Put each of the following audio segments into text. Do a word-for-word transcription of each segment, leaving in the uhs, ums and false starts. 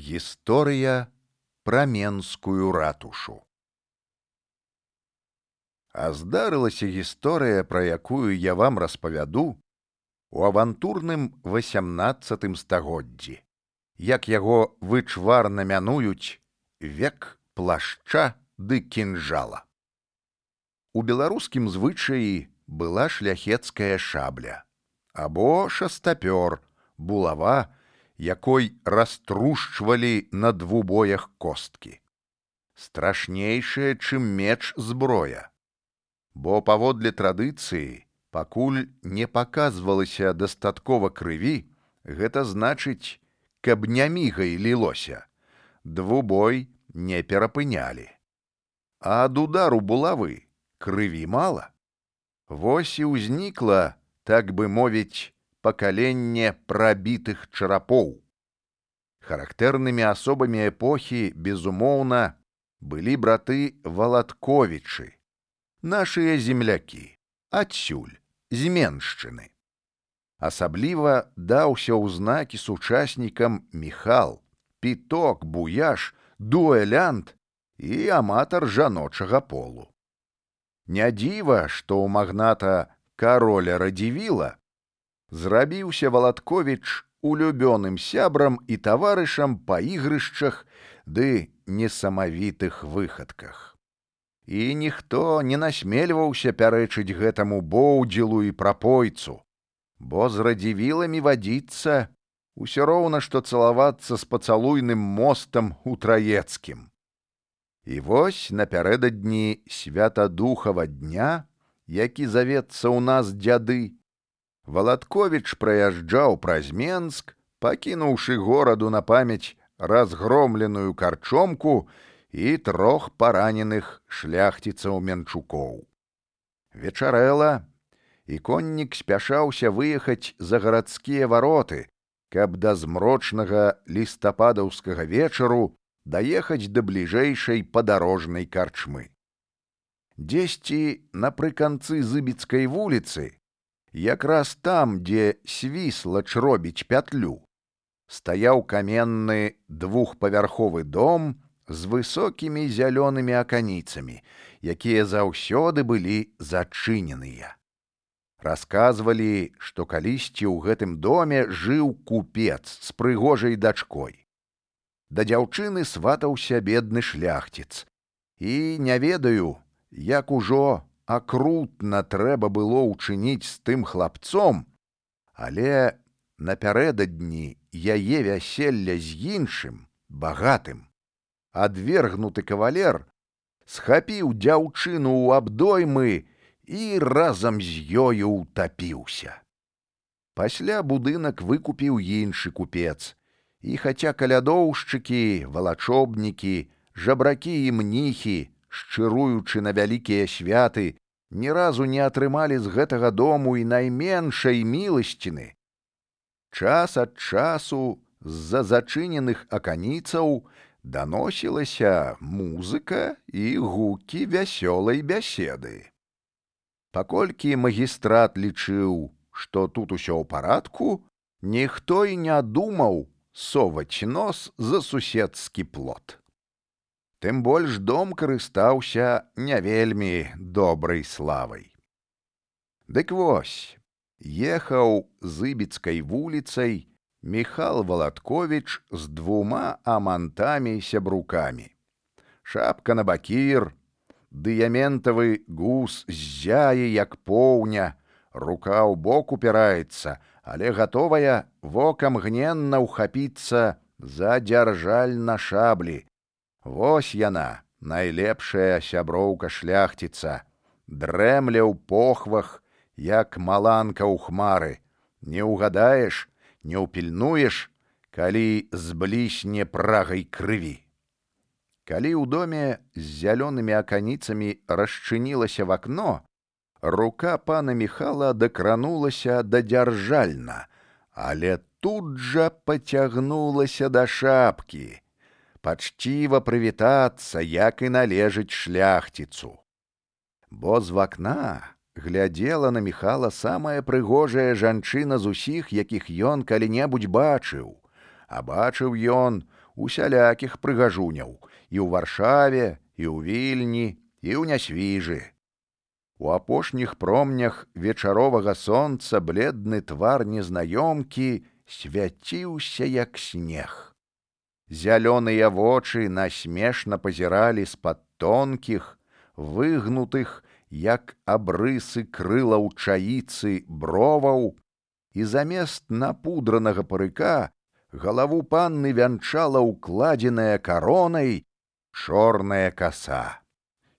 Гісторыя пра Менскую ратушу. А здарылася гісторыя, пра якую я вам распавяду, у авантурным васямнаццатым стагоддзі, як яго вычварна мянуюць век плашча ды кінжала. У беларускім звычаі была шляхецкая шабля, або шастапёр, булава, якой раструшчвалі на двубоях косткі. Страшнейшая, чым меч зброя. Бо паводле традыцыі, пакуль не паказвалася дастаткова крыві, гэта значыць, каб не мігай лілося, двубой не перапынялі. А ад удару булавы крыві мала. Вось і ўзнікла, так бы мовіць, пакаленне прабітых чарапоў. Характэрнымі асобамі эпохі, безумоўна, былі браты Валатковічы, нашыя землякі, адсюль, з Меншчыны. Асабліва даўся ў знакі сучаснікам Міхал, Піток, Буяш, дуэлянт і аматар жаночага полу. Не дзіва, што ў магната кароля Радзівіла зрабіўся Валатковіч улюбёным сябрам і таварышам па ігрышчах ды несамавітых выхадках. І ніхто не насмельваўся пярэчыць гэтаму боўдзілу і прапойцу, бо з Радзівіламі вадзіцца усё роўна, што цалавацца з пацалуйным мостам у Траецкім. І вось напярэдадні святадухава дня, які завецца ў нас дзяды, Валатковіч праязджаў праз Менск, пакінуўшы гораду на памяць разгромленую карчомку і трох параненых шляхціцаў-менчукоў. Вечарэла, і коннік спяшаўся выехаць за гарадскія вароты, каб да змрочнага лістападаўскага вечару даехаць да бліжэйшай падарожнай карчмы. Дзесьці напрыканцы Зыбіцкай вуліцы, якраз там, дзе Свіслач робіць пятлю, стаяў каменны двухпавярховы дом з высокімі зялёнымі аканіцамі, якія заўсёды былі зачыненыя. Расказвалі, што калісьці ў гэтым доме жыў купец з прыгожай дачкой. Да дзяўчыны сватаўся бедны шляхціц. І не ведаю, як ужо акрутна трэба было ўчыніць з тым хлапцом, але напярэдадні яе вяселля з іншым, багатым, адвергнуты кавалер схапіў дзяўчыну ў абдоймы і разам з ёю ўтапіўся. Пасля будынак выкупіў іншы купец, і хаця калядоўшчыкі, валачобнікі, жабракі і мніхі, шчыруючы на вялікія святы, ні разу не атрымалі з гэтага дому і найменшай міласціны, час ад часу з-за зачыненых аканіцаў даносілася музыка і гукі вясёлай бяседы. Паколькі магістрат лічыў, што тут усё ў парадку, ніхто і не думаў соваць нос за суседскі плот. Тым больш дом карыстаўся не вельмі добрай славай. Дык вось, ехаў Зыбіцкай вуліцай Міхал Валатковіч з двума амантамі-сябрукамі. Шапка на бакір, дыяментавы гус ззяе, як поўня, рука ў бок упіраецца, але гатовая вокам гненна ўхапіцца за дзяржаль на шаблі. Вось яна, найлепшая сяброўка шляхціца, дрэмля ў похвах, як маланка ў хмары. Не ўгадаеш, не ўпільнуеш, калі зблісне прагай крыві. Калі ў доме з зялёнымі аканіцамі расчынілася в акно, рука пана Міхала дакранулася да дзяржальна, але тут жа пацягнулася да шапкі, пачціва прывітацца, як і належыць шляхціцу. Бо з вакна глядзела на Міхала самая прыгожая жанчына з усіх, якіх ён калі-небудзь бачыў, а бачыў ён усялякіх прыгажуняў і ў Варшаве, і ў Вільні, і ў Нясвіжы. У апошніх промнях вечаровага сонца бледны твар незнаёмкі свяціўся, як снег. Зялёныя вочы насмешна пазіралі з-пад тонкіх, выгнутых, як абрысы крылаў чаіцы броваў, і замест напудранага парыка галаву панны вянчала укладзеная каронай чорная каса.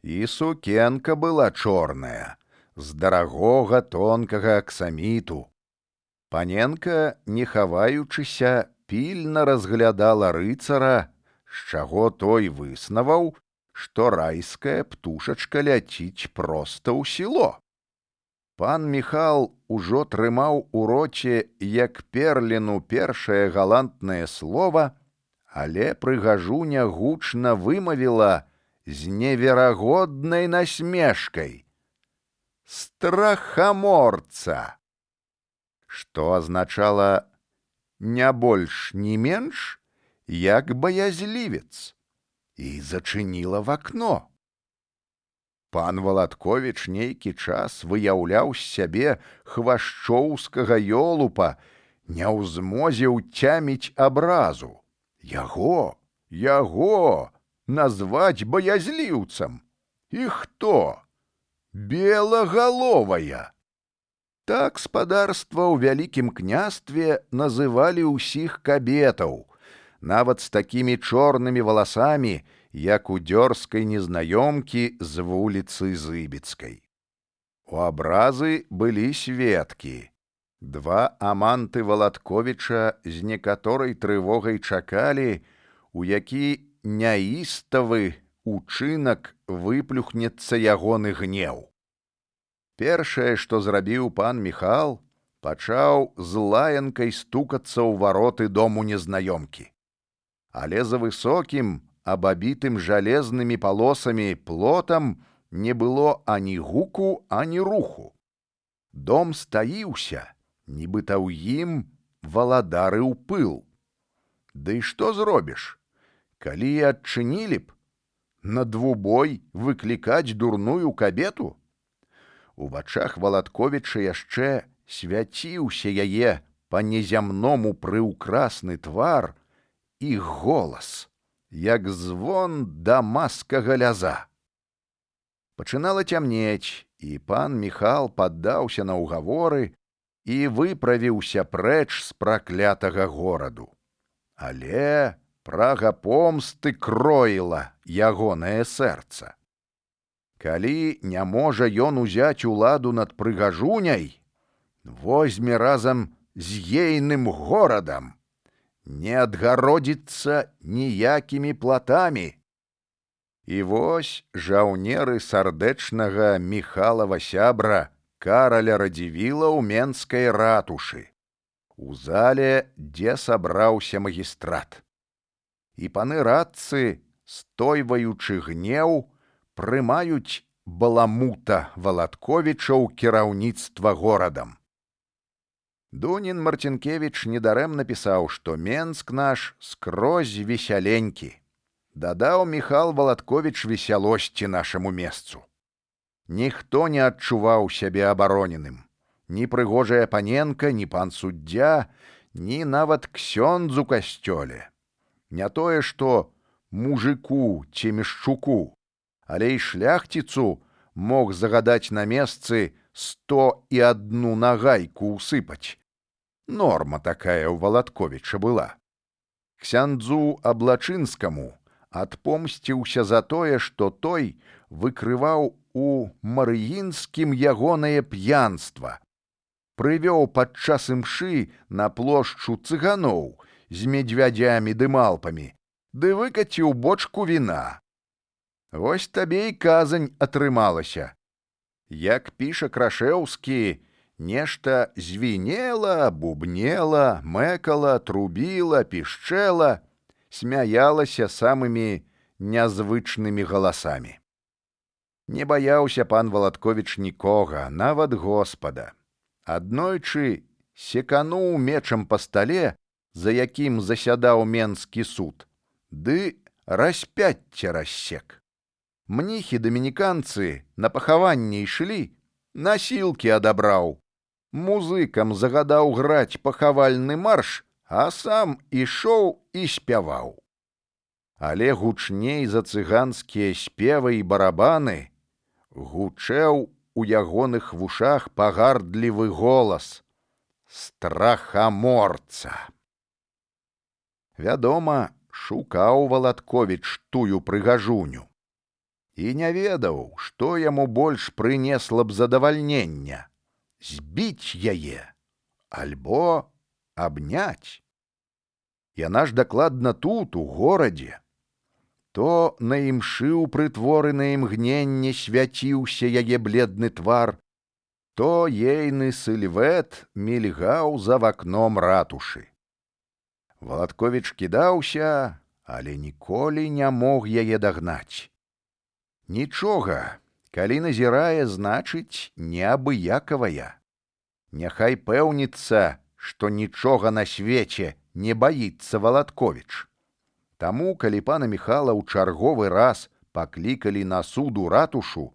І сукенка была чорная, з дарагога тонкага аксаміту. Паненка, не хаваючыся, пільна разглядала рыцара, з чаго той выснаваў, што райская птушачка ляціць проста ў село. Пан Міхал ужо трымаў у роце, як перліну, першае галантнае слова, але прыгажуня гучна вымавіла з неверагоднай насмешкай: «Страхаморца!» Што азначала не больш, ні менш, як баязлівец, і зачыніла в акно. Пан Валатковіч нейкі час выяўляў з сябе хвашчоўскага ёлупа, не ў змозе ўцяміць абразу. Яго, яго назваць баязліўцам. І хто? Белагаловая. Так спадарства ў вялікім княстве называлі ўсіх кабетаў, нават з такімі чорнымі валасамі, як у дзёрзкай незнаёмкі з вуліцы Зыбіцкай. У абразы былі сведкі. Два аманты Валатковіча з некаторай трывогай чакалі, у які няіставы учынак выплюхнецца ягоны гнеў. Першае, што зрабіў пан Міхал, пачаў з лаянкай стукацца ў вароты дому незнаёмкі. Але за высокім, абабітым жалезнымі палосамі плотам не было ані гуку, ані руху. Дом стаіўся, нібыта ў ім валадарыў пыл. Ды што зробіш? Калі і адчынілі б, на двубой выклікаць дурную кабету? У вачах Валатковіча яшчэ свяціўся яе па-незямному прыўкрасны твар і голас, як звон дамаскага ляза. Пачынала цямнець, і пан Міхал паддаўся на ўгаворы і выправіўся прэч з праклятага гораду. Але прага помсты кроіла ягонае сэрца. Калі не можа ён узяць уладу над прыгажуняй, возьме разам з ейным горадам, не адгародзіцца ніякімі платамі. І вось жаўнеры сардэчнага Міхалава сябра Караля Радзівіла ў менскай ратушы, у зале, дзе сабраўся магістрат. І паны радцы, стойваючы гнеў, прымаюць баламута Валатковіча ў кіраўніцтва горадам. Дунін Марцінкевіч недарэмна пісаў, што Менск наш скрозь весяленькі. Дадаў Міхал Валатковіч весялосці нашаму месцу. Ніхто не адчуваў сябе абароненым. Ні прыгожая паненка, ні пан суддзя, ні нават ксёндз у касцёле. Не тое, што мужику ці мешчуку, але і шляхціцу мог загадаць на месцы сто і адну нагайку ўсыпаць. Норма такая ў Валатковіча была. Ксяндзу Аблачынскаму адпомсціўся за тое, што той выкрываў у Марыінскім ягонае п'янства. Прывёў падчас імшы на плошчу цыганоў з медвядзямі ды малпамі, ды выкаціў бочку віна. Вось табе і казань атрымалася. Як піша Крашэўскі, нешта звінела, бубнела, мэкала, трубіла, пішчэла, смяялася самымі нязвычнымі галасамі. Не баяўся пан Валатковіч нікога, нават Господа. Аднойчы секануў мечам па стале, за якім засядаў менскі суд, ды распяцце рассек. Мніхі-дамініканцы на пахаванне ішлі, насілкі адабраў. Музыкам загадаў граць пахавальны марш, а сам ішоў і спяваў. Але гучней за цыганскія спевы і барабаны гучэў у ягоных вушах пагардлівы голас страхаморца. Вядома, шукаў Валатковіч тую прыгажуню і не ведаў, што яму больш прынесла б задавальнення — збіць яе альбо абняць. Яна ж дакладна тут, у горадзе. То на імшы ў прытворанае імгненне свяціўся яе бледны твар, то ейны сыльвет мільгаў за вакном ратушы. Валатковіч кідаўся, але ніколі не мог яе дагнаць. Нічога, калі назірае, значыць, неабыякавая. Няхай пэўніцца, што нічога на свеце не баіцца Валатковіч. Таму, калі пана Міхала ў чарговы раз паклікалі на суд у ратушу,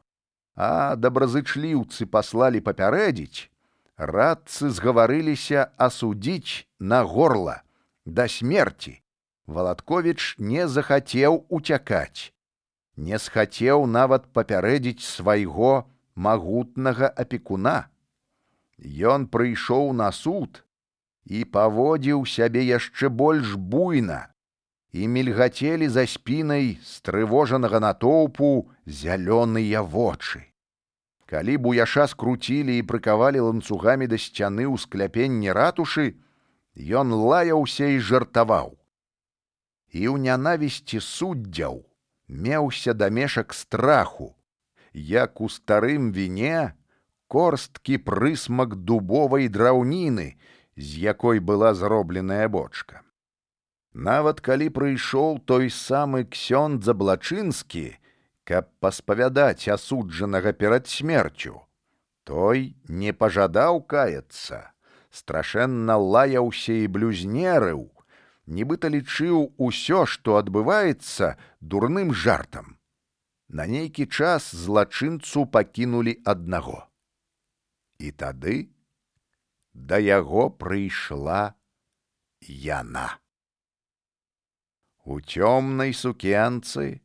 а добразычліўцы паслалі папярэдзіць, радцы згаварыліся асудзіць на горла, да смерці. Валатковіч не захацеў уцякаць, не схацеў нават папярэдзіць свайго магутнага апекуна. Ён прыйшоў на суд і паводзіў сябе яшчэ больш буйна, і мільгацелі за спінай стрывожанага натоўпу зялёныя вочы. Калі буяша скруцілі і прыкавалі ланцугамі да сцяны ў скляпенні ратушы, ён лаяўся і жартаваў. І ў нянавісці суддзяў меўся дамешак страху, як у старым віне корсткі прысмак дубовай драўніны, з якой была зробленая бочка. Нават калі прыйшоў той самы ксёндз Заблачынскі, каб паспавядаць асуджанага перад смерцю, той не пажадаў каяцца, страшэнна лаяўся і блюзнерыў, нібыта лічыў усё, што адбываецца, дурным жартам. На нейкі час злачынцу пакінулі аднаго. І тады да яго прыйшла яна. У цёмнай сукенцы,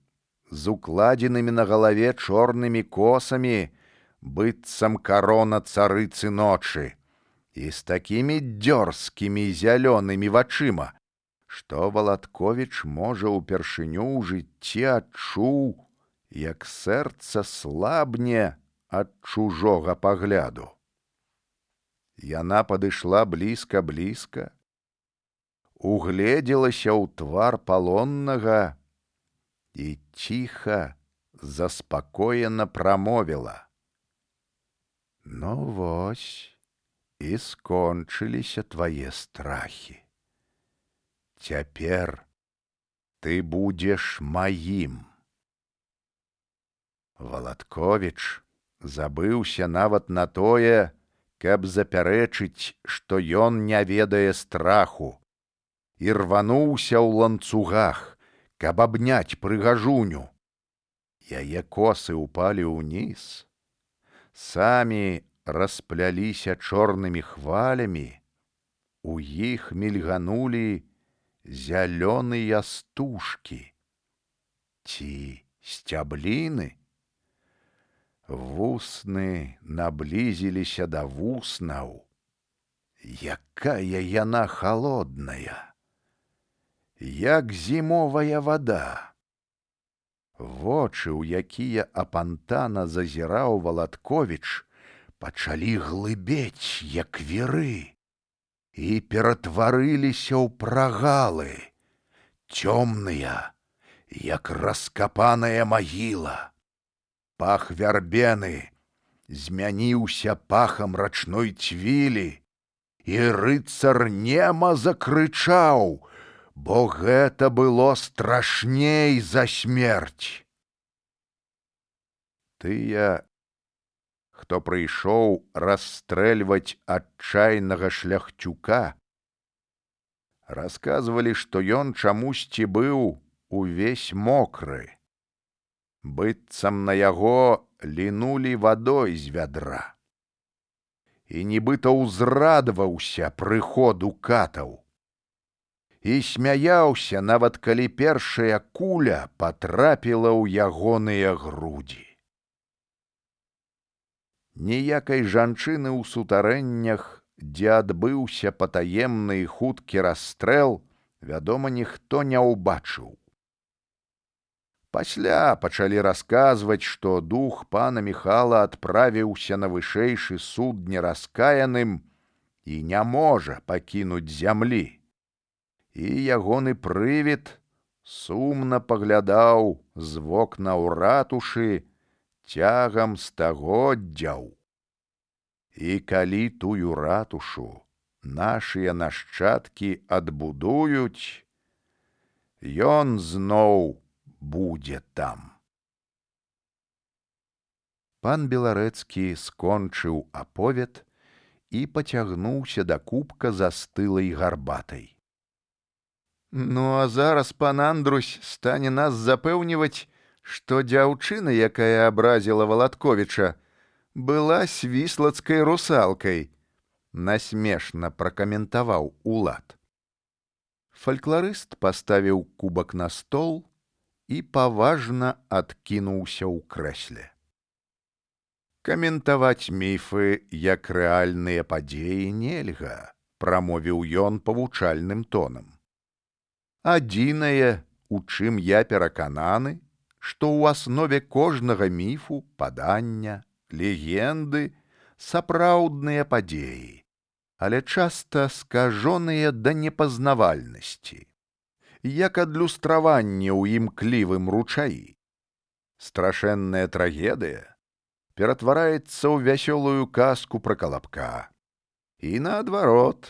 з укладзенымі на галаве чорнымі косамі, быццам карона царыцы ночы, і з такімі дзёрзкімі зялёнымі вачыма, што Валатковіч, можа, упершыню ў жыцці адчуў, як сэрца слабне ад чужога пагляду. Яна падышла блізка-блізка, угледзелася ў твар палоннага і ціха, заспакоена прамовіла: «Ну вось, і скончыліся твае страхі. Цяпер ты будзеш маім». Валатковіч забыўся нават на тое, каб запярэчыць, што ён не ведае страху, і рвануўся ў ланцугах, каб абняць прыгажуню. Яе косы ўпалі ўніз, самі распляліся чорнымі хвалямі, у іх мільганулі зялёныя стужкі ці сцябліны. Вусны наблізіліся да вуснаў. Якая яна халодная, як зімовая вада. Вочы, у якія апантана зазіраў Валатковіч, пачалі глыбець, як віры, і ператварыліся ў прагалы, цёмныя, як раскапаная магіла. Пах вярбены змяніўся пахам рачной цвілі, і рыцар нема закрычаў, бо гэта было страшней за смерць. Тыя, хто прыйшоў расстрэльваць адчайнага шляхцюка, расказвалі, што ён чамусьці быў увесь мокры. Быццам на яго лінулі вадой з вядра. І нібыта ўзрадаваўся прыходу катаў. І смяяўся, нават калі першая куля патрапіла ў ягоныя грудзі. Ніякай жанчыны ў сутарэннях, дзе адбыўся патаемны і хуткі расстрэл, вядома, ніхто не ўбачыў. Пасля пачалі расказваць, што дух пана Міхала адправіўся на вышэйшы суд нераскаяным і не можа пакінуць зямлі. І ягоны прывід сумна паглядаў з вокна ў ратушы цягам стагоддзяў. І калі тую ратушу нашыя нашчадкі адбудуюць, ён зноў будзе там. Пан Беларэцкі скончыў аповед і пацягнуўся да кубка застылай гарбатай. Ну, а зараз пан Андрусь стане нас запэўніваць, што дзяўчына, якая абразіла Валатковіча, была свіслацкай русалкай, насмешна пракаментаваў Улад. Фалькларыст паставіў кубак на стол і паважна адкінуўся ў крэсле. Каментаваць міфы як рэальныя падзеі нельга, прамовіў ён павучальным тонам. Адзінае, у чым я перакананы, што ў аснове кожнага міфу, падання, легенды сапраўдныя падзеі, але часта скажоныя да непазнавальнасці, як адлюстраванне ў імклівым ручаі. Страшэнная трагедыя ператвараецца ў вясёлую казку пра калапка. І наадварот,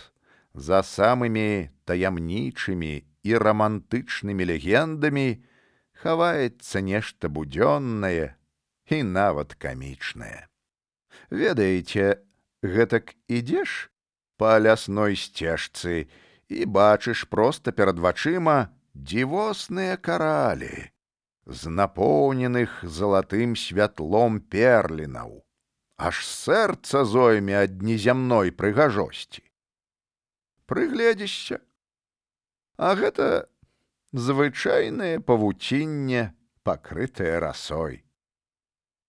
за самымі таямнічымі і рамантычнымі легендамі хаваецца нешта будзённае і нават камічнае. Ведаеце, гэтак ідзеш па лясной сцежцы і бачыш проста перад вачыма дзівосныя каралі з напоўненых залатым святлом перлінаў. Аж сэрца зойме ад незямной прыгажосці. Прыгледзішся, а гэта звычайнае павуцінне, пакрытае расой.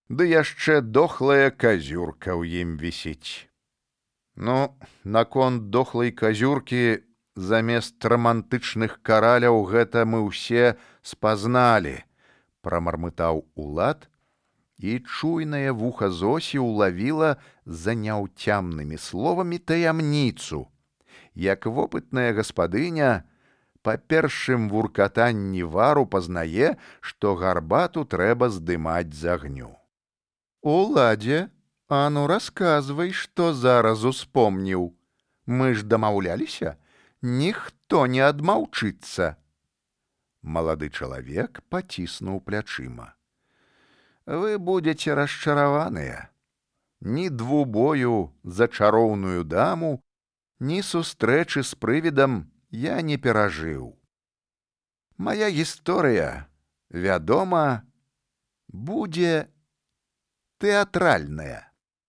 Ды яшчэ дохлая казюрка ў ім вісіць. Ну, наконт дохлай казюркі замест рамантычных караляў гэта мы ўсе спазналі, прамармытаў Улад, і чуйнае вуха Зосі ўлавіла за няўцямнымі словамі таямніцу, як вопытная гаспадыня па першым вуркатанні вару пазнае, што гарбату трэба здымаць з агню. Уладзе, а ну расказвай, што зараз успомніў. Мы ж дамаўляліся, ніхто не адмаўчыцца. Малады чалавек паціснуў плячыма. Вы будзеце расчараваныя. Ні двубою за чароўную даму, ні сустрэчы з прывідам я не перажыў. Мая гісторыя, вядома, будзе тэатральная.